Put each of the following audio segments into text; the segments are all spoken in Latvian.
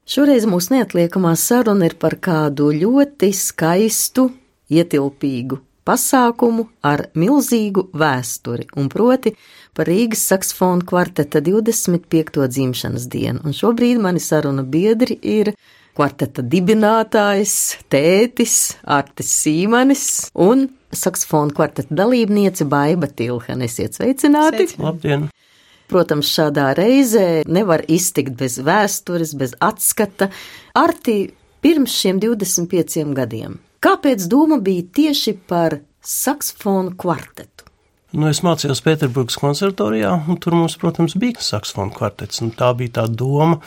Šoreiz mūsu neatliekamā saruna ir par kādu ļoti skaistu, ietilpīgu pasākumu ar milzīgu vēsturi, un proti par Rīgas saksofonu kvarteta 25. dzimšanas dienu. Un šobrīd mani saruna biedri ir kvarteta dibinātājs, tētis Artis Sīmanis un saksofonu kvarteta dalībniece Baiba Tilhane. Esiet sveicināti! Labdien! Protams, šādā reizē nevar iztikt bez vēstures, bez atskata. Arti, pirms šiem 25 gadiem, kāpēc doma bija tieši par saksofonu kvartetu? Es mācījos Pēterburgas konservatorijā, un tur mums, protams, bija saksofonu kvartets. Tā bija tā doma,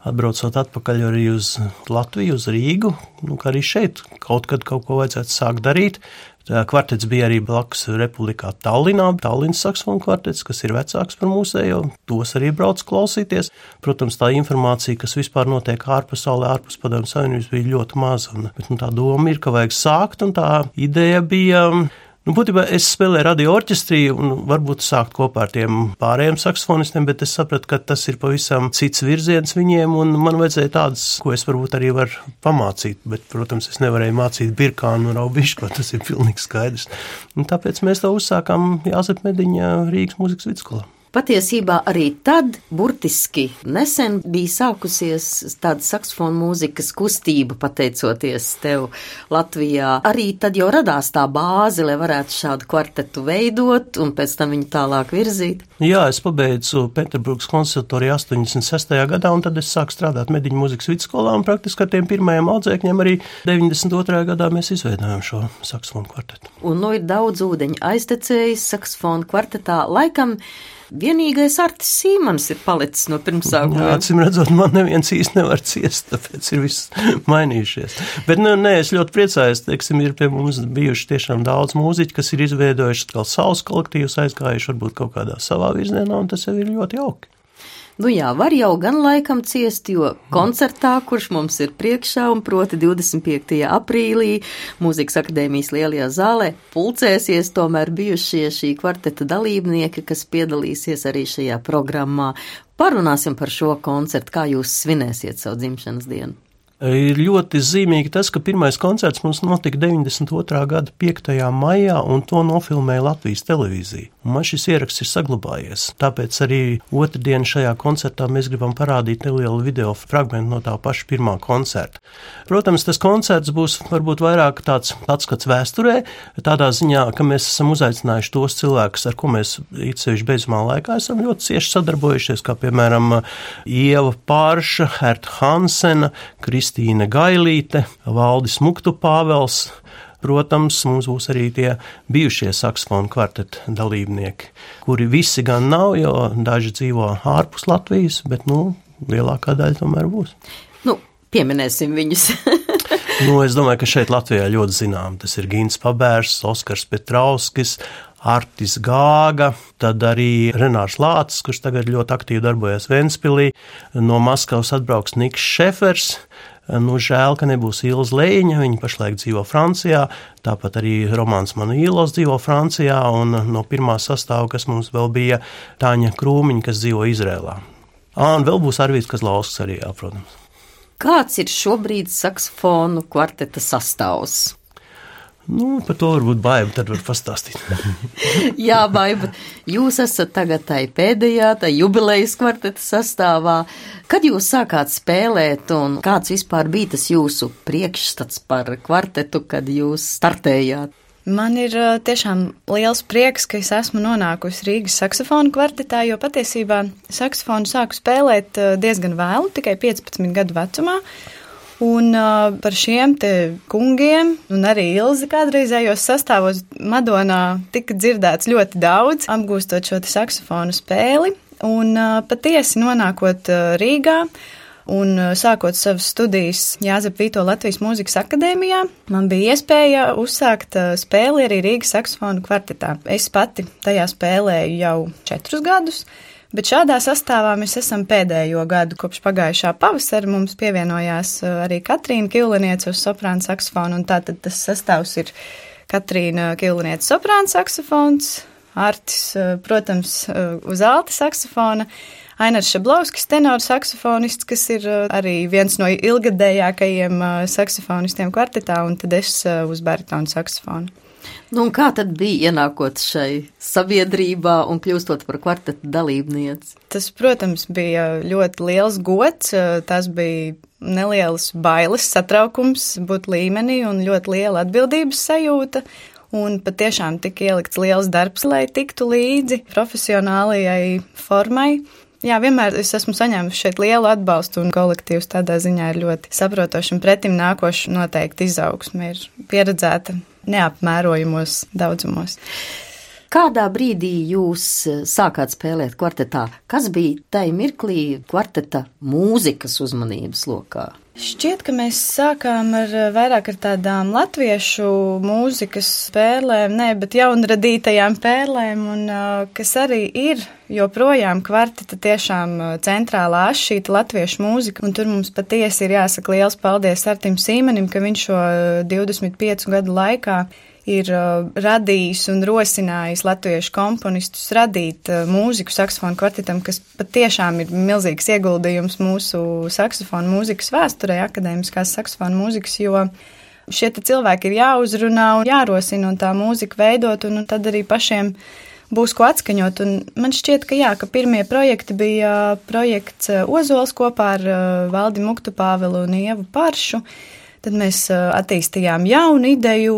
atbraucot atpakaļ arī uz Latviju, uz Rīgu, ka arī šeit kaut kad kaut ko vajadzētu sākt darīt. Kvartets bija arī blakus Republikā Tallinā, Tallinas saksofonu kvartets, kas ir vecāks par mūsējo, tos arī brauc klausīties. Protams, tā informācija, kas vispār notiek ārpasaulē, ārpus Padomju Savienības, bija ļoti maza. Bet tā doma ir, ka vajag sākt, un tā ideja bija... Būtībā es spēlēju radio orķestrī un varbūt sākt kopā ar tiem pārējiem saksofonistiem, bet es sapratu, ka tas ir pavisam cits virziens viņiem, un man vajadzēja tādas, ko es varbūt arī varu pamācīt, bet, protams, es nevarēju mācīt birkānu un raubiško, tas ir pilnīgi skaidrs. Un tāpēc mēs to uzsākām Jāzepa Mediņa Rīgas mūzikas vidusskolā. Patiesībā arī tad, burtiski nesen, bija sākusies tāda saksofonu mūzikas kustība, pateicoties tev Latvijā. Arī tad jau radās tā bāze, lai varētu šādu kvartetu veidot un pēc tam viņu tālāk virzīt. Jā, es pabeidzu Pēterburgas konservatoriju 86. gadā, un tad es sāku strādāt Mediņa mūzikas vidusskolā, un praktiski ar tiem pirmajiem audzēkņiem arī 92. gadā mēs izveidojām šo saksofonu kvartetu. Un ir daudz ūdeņu aiztecējis saksofonu kvartetā. Laikam vienīgais Artis Sīmanis ir palicis no pirmsākumiem. Jā, acīm redzot, man neviens īsti nevar ciest, tāpēc ir viss mainījušies. Bet es ļoti priecājos, ir pie mums bijuši tiešām daudz mūziķi, kas ir izveidojuši atkal savus kolektīvus, aizgājuši varbūt kaut kādā savā virzienā, un tas jau ir ļoti jauki. Var jau gan laikam ciest, jo koncertā, kurš mums ir priekšā, un proti 25. aprīlī Mūzikas akadēmijas lielajā zālē, pulcēsies tomēr bijušie šī kvarteta dalībnieki, kas piedalīsies arī šajā programmā. Parunāsim par šo koncertu, kā jūs svinēsiet savu dzimšanas dienu. Ir ļoti zīmīgi tas, ka pirmais koncerts mums notika 92. gada 5. maijā, un to nofilmēja Latvijas televīzija. Un man šis ieraksts ir saglabājies. Tāpēc arī otrdien šajā koncertā mēs gribam parādīt nelielu video fragmentu no tā paša pirmā koncerta. Protams, tas koncerts būs varbūt vairāk tāds atskats vēsturē, tādā ziņā, ka mēs esam uzaicinājuši tos cilvēkus, ar ko mēs īpaši beidzamā laikā esam ļoti cieši sadarbojušies, kā piemēram Ieva Pārša, Herta Hansena, Kristīne Gailīte, Valdis Muktu Pāvels. Protams, mums būs arī tie bijušie saksofonu kvarteta dalībnieki, kuri visi gan nav, jo daži dzīvo ārpus Latvijas, bet, lielākā daļa tomēr būs. Pieminēsim viņus. Es domāju, ka šeit Latvijā ļoti zinām. Tas ir Gins Pabērs, Oskars Petrauskis, Artis Gāga, tad arī Renārs Lācis, kurš tagad ļoti aktīvi darbojas Ventspilī. No Maskavas atbrauks Niks Šefers. Žēl, ka nebūs Ilza Lejiņa, viņa pašlaik dzīvo Francijā, tāpat arī Romāns Manuīlovs dzīvo Francijā, un no pirmā sastāva, kas mums vēl bija, Tāņa Krūmiņa, kas dzīvo Izrēlā. Un vēl būs Arvīds Kazlausks arī, protams. Kāds ir šobrīd saksofonu kvarteta sastāvs? Par to varbūt Baiba tad var pastāstīt. Jā, Baiba, jūs esat tagad tai pēdējā, tai jubilejas kvarteta sastāvā. Kad jūs sākāt spēlēt un kāds vispār bija tas jūsu priekšstats par kvartetu, kad jūs startējāt? Man ir tiešām liels prieks, ka es esmu nonākusi Rīgas saksofonu kvartetā, jo patiesībā saksofonu sāku spēlēt diezgan vēlu, tikai 15 gadu vecumā. Un par šiem te kungiem un arī Ilzi kādreizējos sastāvos Madonā tika dzirdēts ļoti daudz, apgūstot šo te saksofonu spēli. Un patiesi nonākot Rīgā un sākot savas studijas Jāzepa Vītola Latvijas mūzikas akadēmijā, man bija iespēja uzsākt spēli arī Rīgas saksofonu kvartetā. Es pati tajā spēlēju jau 4 gadus. Bet šādā sastāvā mēs esam pēdējo gadu kopš pagājušā pavasara. Mums pievienojās arī Katrīna Kileniece uz soprāna saksofonu, un tātad tas sastāvs ir Katrīna Kileniece soprāna saksofons, Artis, protams, uz alta saksofona, Ainars Šablovskis, tenors saksofonists, kas ir arī viens no ilgadējākajiem saksofonistiem kvartetā, un tad es uz baritonu saksofonu. Nu, un kā tad bija ienākot šai sabiedrībā un kļūstot par kvarteta dalībnieci? Tas, protams, bija ļoti liels gods, tas bija nelielas bailes, satraukums būt līmenī un ļoti liela atbildības sajūta. Un patiešām tika ielikts liels darbs, lai tiktu līdzi profesionālajai formai. Jā, vienmēr es esmu saņēmusi šeit lielu atbalstu, un kolektīvs tādā ziņā ir ļoti saprotoši un pretim nākoši noteikti izaugsme ir pieredzēta neapmērojumos daudzumos. Kādā brīdī jūs sākāt spēlēt kvartetā? Kas bija tai mirklī kvarteta mūzikas uzmanības lokā? Šķiet, ka mēs sākām vairāk ar tādām latviešu mūzikas spēlēm, bet jaunradītajām pērlēm, un kas arī ir joprojām kvarteta tiešām centrālā šīta latviešu mūzika, un tur mums patiesi ir jāsaka liels paldies Artim Sīmanim, ka viņš šo 25 gadu laikā ir radījis un rosinājis latviešu komponistus radīt mūziku saksofonu kvartetam, kas patiešām ir milzīgs ieguldījums mūsu saksofonu mūzikas vēsturē, akadēmiskās saksofonu mūzikas, jo šie cilvēki ir jāuzrunā un jārosina un tā mūzika veidot, un tad arī pašiem būs ko atskaņot. Un man šķiet, ka pirmie projekti bija projekts Ozols kopā ar Valdi Muktu Pāvelu un Ievu Paršu. Tad mēs attīstījām jaunu ideju,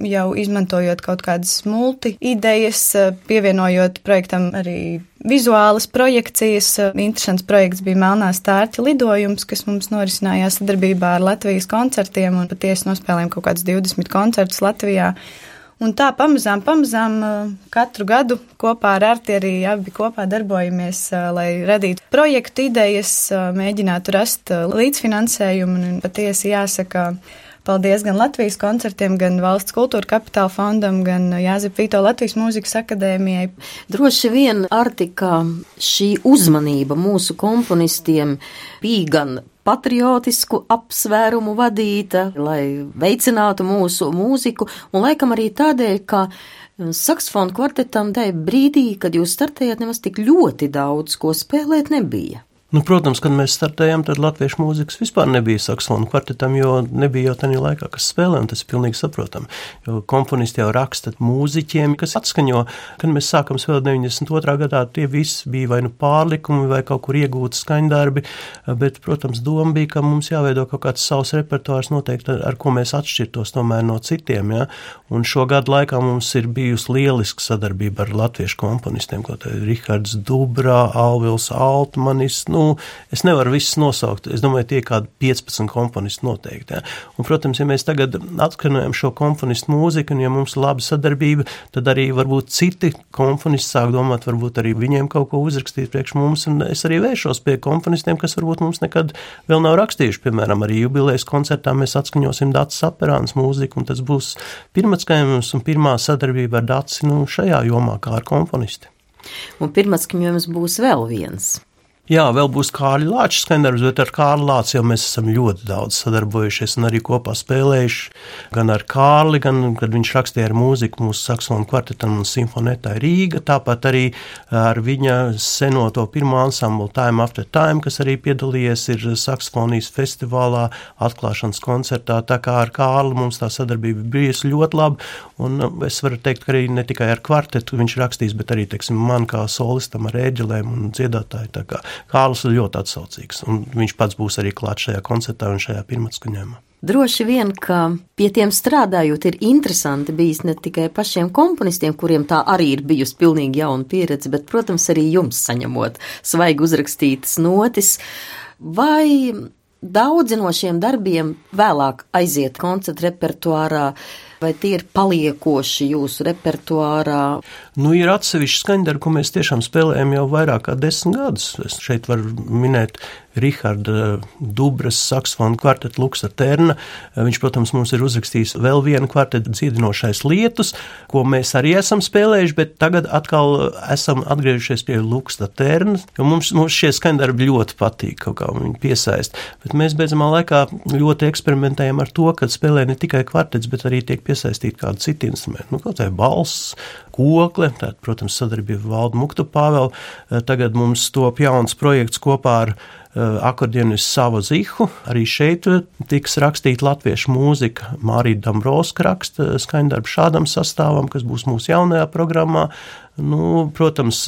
jau izmantojot kaut kādas multi-idejas, pievienojot projektam arī vizuālas projekcijas. Interesants projekts bija Melnā stārķa lidojums, kas mums norisinājās sadarbībā ar Latvijas koncertiem, un patiesi nospēlējām kaut kāds 20 koncertus Latvijā. Un tā pamazām katru gadu kopā ar Arti arī abi kopā darbojamies, lai radītu projektu idejas, mēģinātu rast līdzfinansējumu, un patiesi jāsaka paldies gan Latvijas koncertiem, gan Valsts kultūra kapitāla fondam, gan Jāzepa Vīto Latvijas mūzikas akadēmijai. Droši vien, Arti, ka šī uzmanība mūsu komponistiem bija gan patriotisku apsvērumu vadīta, lai veicinātu mūsu mūziku, un laikam arī tādēļ, ka saksofonu kvartetam tajā brīdī, kad jūs startējāt, nemaz tik ļoti daudz, ko spēlēt nebija. Nu, protams, kad mēs startējām, tad latviešu mūzikas vispār nebija saksofonu kvartetam, jo nebija jau tajā laikā, kas spēlē, un tas ir pilnīgi saprotami. Jo komponisti jau raksta mūziķiem, kas atskaņo. Kad mēs sākam spēlēt 92. gadā, tie visi bija vai nu pārlikumi, vai kaut kur iegūti skaņdarbi, bet, protams, doma bija, ka mums jāveido kaut kāds savs repertuārs noteikti, ar ko mēs atšķirtos tomēr no citiem, ja? Un šo gadu laikā mums ir bijusi lieliska sadarbība ar latviešu komponistiem, ko te Rihards Dubrā, Alvils Altmanis, es nevaru visus nosaukt. Es domāju, tie kādi 15 komponisti noteikti. Ja? Un, protams, ja mēs tagad atskanojam šo komponistu mūziku, un ja mums ir laba sadarbība, tad arī varbūt citi komponisti sāk domāt, varbūt arī viņiem kaut ko uzrakstīt priekš mums, un es arī vēršos pie komponistiem, kas varbūt mums nekad vēl nav rakstījuši. Piemēram, arī jubilejas koncertā mēs atskaņosim Dacis Aperāns mūziku, un tas būs pirmatskaņojums un pirmā sadarbība ar Daci šajā jomā kā ar komponisti. Un pirmatskaņojums būs vēl viens. Jā, vēl būs Kārļa Lāča skaņdarbs, bet ar Kārli Lāci jau mēs esam ļoti daudz sadarbojušies un arī kopā spēlējuši. Gan ar Kārli, gan, kad viņš rakstīja ar mūziku mūsu saksofonu kvartetam un simfonetai Rīga, tāpat arī ar viņa senoto pirmo ansamblu Time After Time, kas arī piedalījies ir saksofonijas festivālā, atklāšanas koncertā. Tā kā ar Kārli mums tā sadarbība bijusi ļoti laba, un es varu teikt, ka arī ne tikai ar kvartetu viņš rakstīs, bet arī, teiksim, man kā solistam ar ēģelēm un dziedātāju, tā kā Kārlis ir ļoti atsaucīgs, un viņš pats būs arī klāt šajā koncertā un šajā pirmatskaņojumā. Droši vien, ka pie tiem strādājot ir interesanti bijis ne tikai pašiem komponistiem, kuriem tā arī ir bijusi pilnīgi jauna pieredze, bet, protams, arī jums saņemot svaigi uzrakstītas notis, vai daudzi no šiem darbiem vēlāk aiziet koncertu repertuārā, vai tie ir paliekoši jūsu repertuārā? Ir atsevišķi skaņdarbi, ko mēs tiešām spēlējam jau vairāk kā 10 gadus. Es šeit varu minēt Riharda Dubras saksofonu kvartetu Luksa Terna. Viņš, protams, mums ir uzrakstījis vēl vienu kvartetu Dziedinošais lietus, ko mēs arī esam spēlējuši, bet tagad atkal esam atgriežušies pie Luksa Terna, jo mums šie skaņdarbi ļoti patīk, kaut kā viņi piesaist. Bet mēs beidzamā laikā ļoti eksperimentējam ar to, kad spēlē ne tikai kvartets, bet arī tiek piesaistīt kādu citu instrumentu. Kaut vai balss, kokle, tātad, protams, sadarbība Valdu Muktu Pāvelu. Tagad mums top jauns projekts kopā ar akordionistu Savo Zihu. Arī šeit tiks rakstīta latviešu mūzika. Mārija Dambrovska raksta skaņdarbu šādam sastāvam, kas būs mūsu jaunajā programmā. Protams,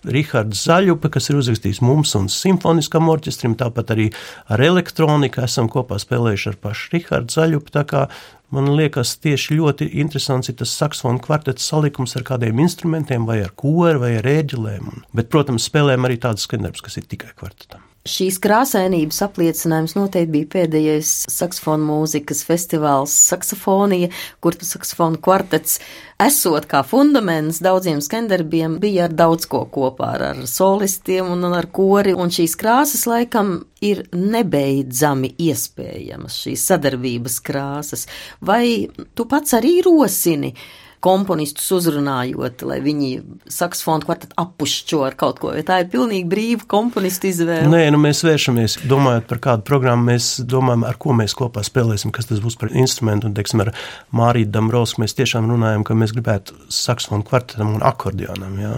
Rihards Zaļupe, kas ir uzrakstījis mums un simfoniskam orķestrim, tāpat arī ar elektroniku esam kopā spēlējuši ar pašu Rihardu Zaļupi, tā kā man liekas tieši ļoti interesants ir tas saksofonu kvartets salikums ar kādiem instrumentiem, vai ar koru, vai ar ēģelēm. Bet, protams, spēlējam arī tādas skaņdarbus, kas ir tikai kvartetam. Šīs krāsainības apliecinājums noteikti bija pēdējais saksofonu mūzikas festivāls Saksofonija, kur saksofonu kvartets, esot kā fundaments daudziem skaņdarbiem, bija ar daudz ko kopā, ar solistiem un ar kori, un šīs krāsas laikam ir nebeidzami iespējamas, šīs sadarbības krāsas. Vai tu pats arī rosini komponistus uzrunājot, lai viņi saksofonu kvartetu appušķo ar kaut ko, vai tā ir pilnīgi brīva komponistu izvēle? Nē, mēs vēršamies, domājot par kādu programmu, mēs domājam, ar ko mēs kopā spēlēsim, kas tas būs par instrumentu, un, teiksim, ar Māriju Dambrovsku mēs tiešām runājam, ka mēs gribētu saksofonu kvartetam un akordionam, jā.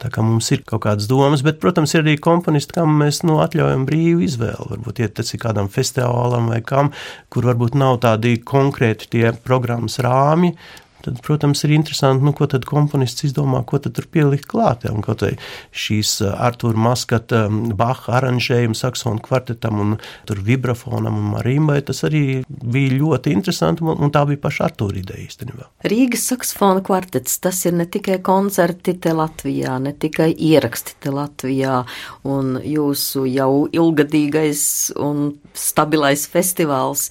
Tā kā mums ir kaut kādas domas, bet, protams, ir arī komponisti, kam mēs, atļaujam brīvu izvēli, varbūt iet tas ir kādam festivālam vai kam, kur varbūt nav tādi konkrēti tie programmas rāmi. Tad, protams, ir interesanti, ko tad komponists izdomā, ko tad tur pielikt klāt. Un kaut vai šīs Artūra Maskata Baha aranžējuma saksofonu kvartetam un tur vibrafonam un marimbai, tas arī bija ļoti interesanti, un tā bija paša Artūra ideja īstenībā. Rīgas saksofonu kvartets, tas ir ne tikai koncerti te Latvijā, ne tikai ieraksti te Latvijā, un jūsu jau ilgadīgais un stabilais festivāls.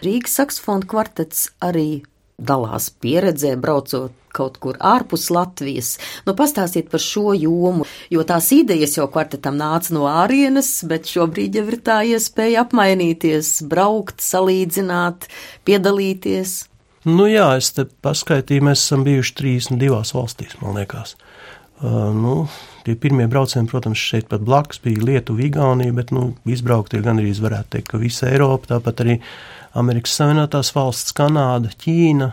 Rīgas saksofonu kvartets arī dalās pieredzē, braucot kaut kur ārpus Latvijas. Pastāstiet par šo jomu, jo tās idejas jau kvartetam nāca no ārienes, bet šobrīd jau ir tā iespēja apmainīties, braukt, salīdzināt, piedalīties. Jā, es te paskaitīju, mēs esam bijuši 32 valstīs, man liekas. Tie pirmie braucieni, protams, šeit pat blakus bija Lietuva, Igaunija, bet, izbraukt ir gandrīz, varētu teikt, ka visa Eiropa, tāpat arī Amerikas Savienotās valsts, Kanāda, Ķīna.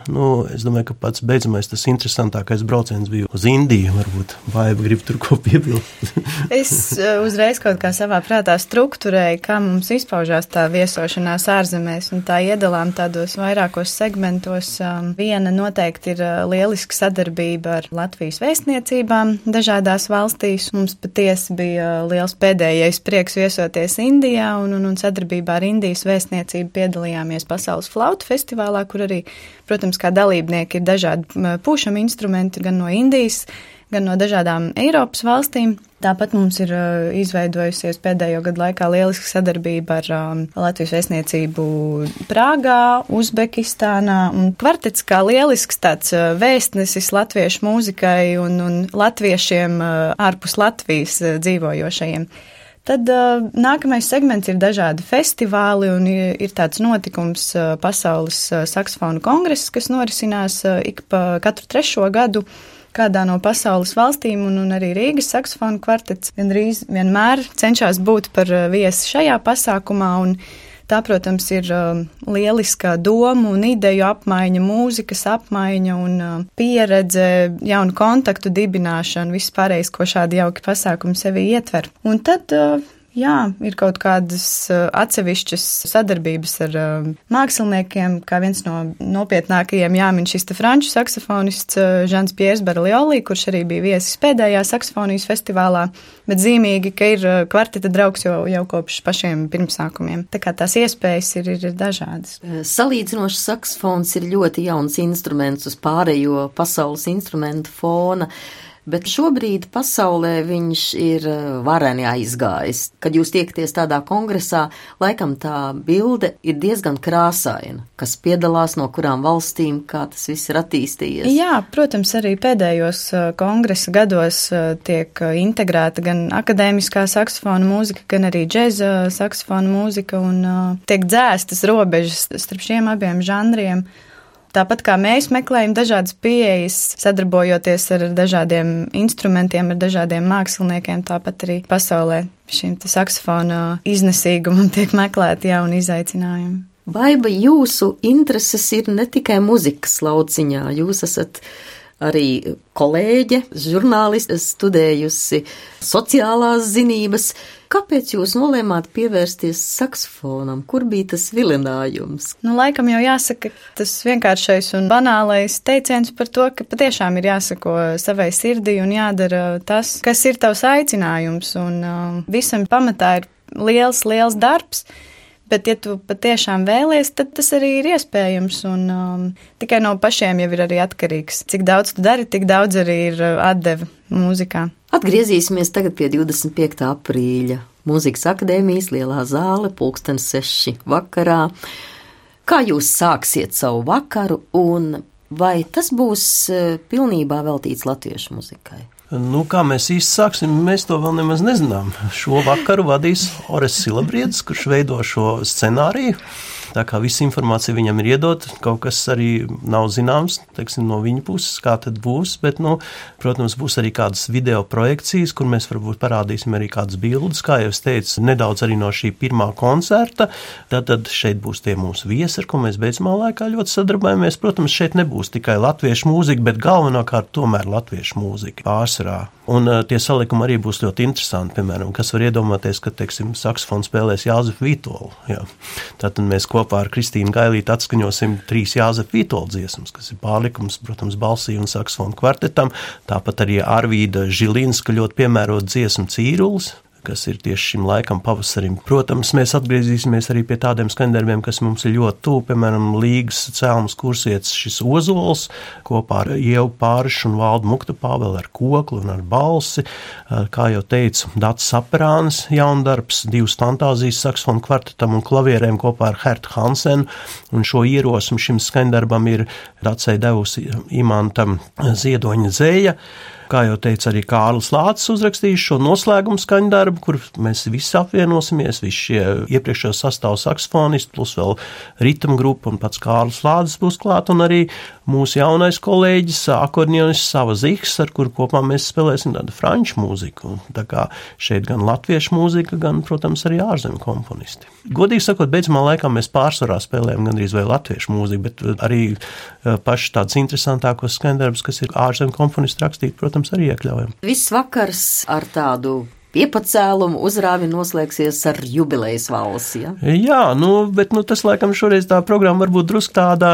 Es domāju, ka pats beidzamais tas interesantākais brauciens bija uz Indiju. Varbūt Baiba grib tur ko piebilst. Es uzreiz kaut kā savā prātā strukturēju, kā mums izpaužās tā viesošanās ārzemēs, un tā iedalām tādos vairākos segmentos. Viena noteikti ir lieliska sadarbība ar Latvijas vēstniecībām dažādās valstīs. Mums patiesi bija liels pēdējais prieks viesoties Indijā, un sadarbībā ar Indijas vēstniecību piedalījāmies Pasaules flautu festivālā, kur arī, protams, kā dalībnieki ir dažādi pušam instrumenti gan no Indijas, gan no dažādām Eiropas valstīm. Tāpat mums ir izveidojusies pēdējo gadu laikā lieliska sadarbība ar Latvijas vēstniecību Prāgā, Uzbekistānā, un kvartets kā lielisks tāds vēstnesis latviešu mūzikai un latviešiem ārpus Latvijas dzīvojošajiem. Tad nākamais segments ir dažādi festivāli, un ir tāds notikums Pasaules saksofonu kongress, kas norisinās katru 3. gadu kādā no pasaules valstīm, un arī Rīgas saksofonu kvartets gandrīz vienmēr cenšas būt par viesi šajā pasākumā, un tā, protams, ir lieliska domu un ideju apmaiņa, mūzikas apmaiņa un pieredze, jaunu kontaktu dibināšana, viss pārējais, ko šādi jauki pasākumi sevi ietver. Un tad, ir kaut kādas atsevišķas sadarbības ar māksliniekiem, kā viens no nopietnākajiem jāmin šis te franču saksofonists Žans Piers Barlioli, kurš arī bija viesis pēdējā saksofonijas festivālā, bet zīmīgi, ka ir kvarteta draugs jau kopš pašiem pirmsākumiem. Tā kā tās iespējas ir dažādas. Salīdzinošs saksofons ir ļoti jauns instruments uz pārējo pasaules instrumentu fona, bet šobrīd pasaulē viņš ir vareni aizgājis. Kad jūs tiekaties tādā kongresā, laikam tā bilde ir diezgan krāsaina, kas piedalās no kurām valstīm, kā tas viss ir attīstījies. Jā, protams, arī pēdējos kongresa gados tiek integrēta gan akadēmiskā saksofona mūzika, gan arī džeza saksofona mūzika, un tiek dzēstas robežas starp šiem abiem žanriem. Tāpat kā mēs meklējam dažādas pieejas, sadarbojoties ar dažādiem instrumentiem, ar dažādiem māksliniekiem, tāpat arī pasaulē šim saksofona iznesīgumam tiek meklēti jauni izaicinājumi. Baiba, jūsu intereses ir ne tikai muzikas lauciņā, jūs esat arī kolēģe, žurnāliste, studējusi sociālās zinības. Kāpēc jūs nolēmāt pievērsties saksofonam? Kur bija tas vilinājums? Laikam jau jāsaka tas vienkāršais un banālais teiciens par to, ka patiešām ir jāsako savai sirdī un jādara tas, kas ir tavs aicinājums. Un visam pamatā ir liels darbs. Bet, ja tu patiešām vēlies, tad tas arī ir iespējams, un tikai no pašiem jau ir arī atkarīgs. Cik daudz tu dari, tik daudz arī ir atdeve mūzikā. Atgriezīsimies tagad pie 25. aprīļa. Mūzikas akadēmijas lielā zāle, 6:00 vakarā. Kā jūs sāksiet savu vakaru, un vai tas būs pilnībā veltīts latviešu muzikai? Kā mēs īsti sāksim, mēs to vēl nemaz nezinām. Šo vakaru vadīs Ores Silabriedis, kurš veido šo scenāriju. Tā kā visa informācija viņam ir iedota, kaut kas arī nav zināms, teiksim, no viņa puses, kā tad būs, bet, protams, būs arī kādas video projekcijas, kur mēs varbūt parādīsim arī kādas bildes, kā jau es teicu, nedaudz arī no šī pirmā koncerta. Tad šeit būs tie mūsu viesi, ar ko mēs beidzamā laikā ļoti sadarbojamies. Protams, šeit nebūs tikai latviešu mūzika, bet galvenokārt tomēr latviešu mūzika pārsvarā. Un tie salikumi arī būs ļoti interesanti, piemēram, kas var iedomāties, ka, teiksim, saksofonu spēlēs Jāzefu Vītolu. Jā. Tātad mēs kopā ar Kristīnu Gailīti atskaņosim 3 Jāzefa Vītola dziesmas, kas ir pārlikums, protams, balsī un saksofonu kvartetam. Tāpat arī Arvīda Žilinska ļoti piemērot dziesmu Cīrulis, kas ir tieši šim laikam pavasarim. Protams, mēs atgriezīsimies arī pie tādiem skaņdarbiem, kas mums ir ļoti tuvu, piemēram, Līgas Cēlmas kursietis šis Ozols, kopā ar Ievu Pārišu un Valdu Muktapāveli ar koklu un ar balsi. Kā jau teicu, Dats Saperānis jaundarbs, 2 fantāzijas saksofonu kvartetam un klavierēm kopā ar Hertu Hansenu, un šo ierosmi šim skaņdarbam ir Datsai devusi Imantam Ziedoņa dzēja. Kā jau teica, arī Kārlis Lācis uzrakstījis šo noslēgumu skaņdarbu, kur mēs visi apvienosimies, visi šie iepriekšējo sastāvu saksofonisti, plus vēl ritma grupa un pats Kārlis Lācis būs klāt, un arī mūsu jaunais kolēģis, akordionists Sava Ziks, ar kuru kopā mēs spēlēsim tādu franču mūziku. Tā kā šeit gan latviešu mūzika, gan, protams, arī ārzemju komponisti. Godīgi sakot, beidzamā laikā mēs pārsvarā spēlējam gandrīz vai latviešu mūziku, bet arī paši tāds interesantākos skaņdarbus, kas ir ārzemju komponisti rakstīt, protams, arī iekļaujam. Viss vakars ar tādu piepacēlumu uzrāvi noslēgsies ar jubilejas valsi, ja? Jā, bet tas laikam šoreiz tā programma varbūt drusku tāda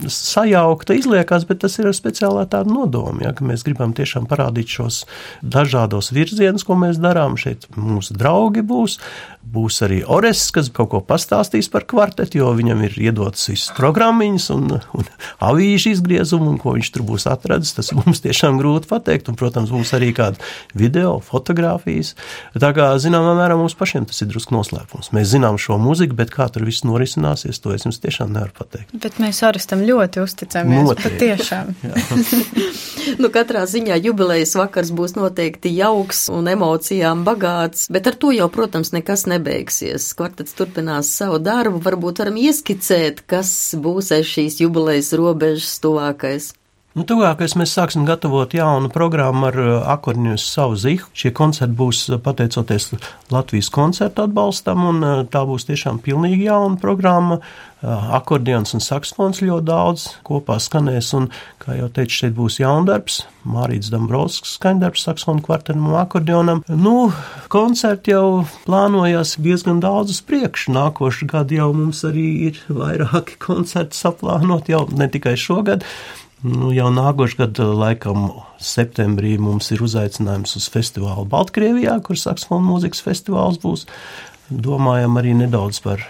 sajaukta izliekās, bet tas ir ar speciālā tāda nodoma, ja, ka mēs gribam tiešām parādīt šos dažādos virzienus, ko mēs darām. Šeit mūsu draugi būs arī Ores, kas kaut ko pastāstīs par kvartetu, jo viņam ir iedotas visas programmiņas un avīžu izgriezumu, un ko viņš tur būs atradis, tas mums tiešām grūti pateikt, un, protams, būs arī kāda video, fotogrāfijas. Tā kā, zināmā mērā, mums pašiem tas ir drusku noslēpums. Mēs zinām šo muziku, bet kā tur viss norisināsies, to es jums tiešām nevaru pateikt. Bet mēs Orestam ļoti uzticamies, patiešām. Katrā ziņā jubilejas vakars būs noteikti jauks un emocijām bagāts, bet ar to jau, protams, nekas nebeigsies. Kvartets turpinās savu darbu, varbūt varam ieskicēt, kas būs aiz šīs jubilejas robežas tuvākais. Tuvākais mēs sāksim gatavot jaunu programmu ar akordionistu Savu Ziku. Šie koncerti būs pateicoties Latvijas koncertu atbalstam, un tā būs tiešām pilnīgi jauna programma. Akordions un saksofons ļoti daudz kopā skanēs, un, kā jau teicu, šeit būs jaundarbs, Mārīts Dambrovskis skaņdarbs saksofonu kvartetam un akordionam. Koncerti jau plānojās diezgan daudz uz priekšu. Nākošu gadu jau mums arī ir vairāki koncerti saplānot, jau ne tikai šogad. Jau nākošu gadu, laikam, septembrī mums ir uzaicinājums uz festivālu Baltkrievijā, kur saksofonu mūzikas festivāls būs. Domājam arī nedaudz par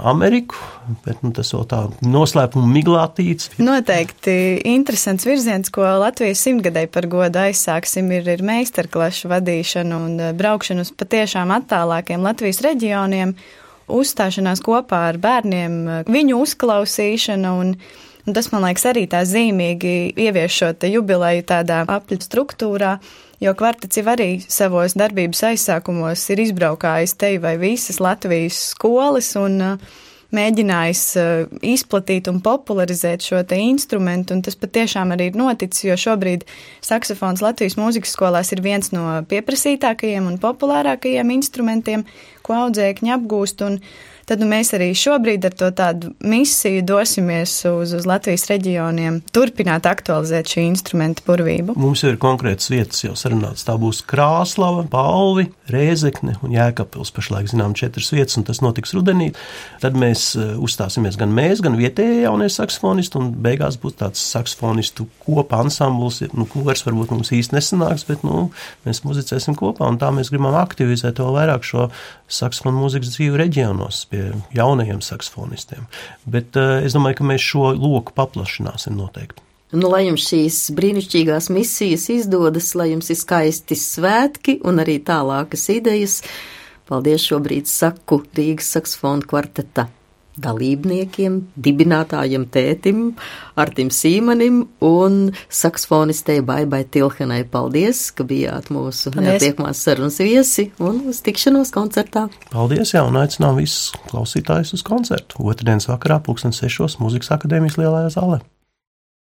Ameriku, bet tas vēl tā noslēpuma miglātīts. Noteikti interesants virziens, ko Latvijas 100-gadai par godu aizsāksim, ir meistarklašu vadīšana un braukšana uz patiešām attālākiem Latvijas reģioniem, uzstāšanās kopā ar bērniem, viņu uzklausīšana un tas, man liekas, arī tā zīmīgi ievieš šo jubileju tādā apļu struktūrā, jo kvartets jau arī savos darbības aizsākumos ir izbraukājis te vai visas Latvijas skolas un mēģinājis izplatīt un popularizēt šo te instrumentu, un tas patiešām arī ir noticis, jo šobrīd saksofons Latvijas mūzikas skolās ir viens no pieprasītākajiem un populārākajiem instrumentiem, ko audzēkņi apgūst, un tad mēs arī šobrīd ar to tādu misiju dosimies uz Latvijas reģioniem, turpināt aktualizēt šī instrumenta burvību. Mums jau ir konkrētas vietas jau sarunāts. Tā būs Krāslava, Palvi, Rēzekne un Jēkabpils. Pašlaik zinām 4 vietas, un tas notiks rudenī. Tad mēs uzstāsimies gan mēs, gan vietējie jaunie saksofonisti, un beigās būs tāds saksofonistu kopa ansambls. Kors varbūt mums īsti nesanāks, bet mēs muzicēsim kopā, un tā mēs gribam aktivizēt vēl vairāk šo saksofonu mūzikas dzīvi reģionos pie jaunajiem saksofonistiem. Bet es domāju, ka mēs šo loku paplašināsim noteikti. Lai jums šīs brīnišķīgās misijas izdodas, lai jums ir skaisti svētki un arī tālākas idejas. Paldies šobrīd saku Rīgas saksofonu kvarteta dalībniekiem, dibinātājiem tētim, Artim Sīmanim un saksofonistei Baibai Tilhenai. Paldies, ka bijāt mūsu neatiekamās sarunas viesi un uz tikšanos koncertā. Paldies, un aicinām visus klausītājus uz koncertu. Otrdienas vakarā 6:00 Mūzikas akadēmijas lielajā zālē.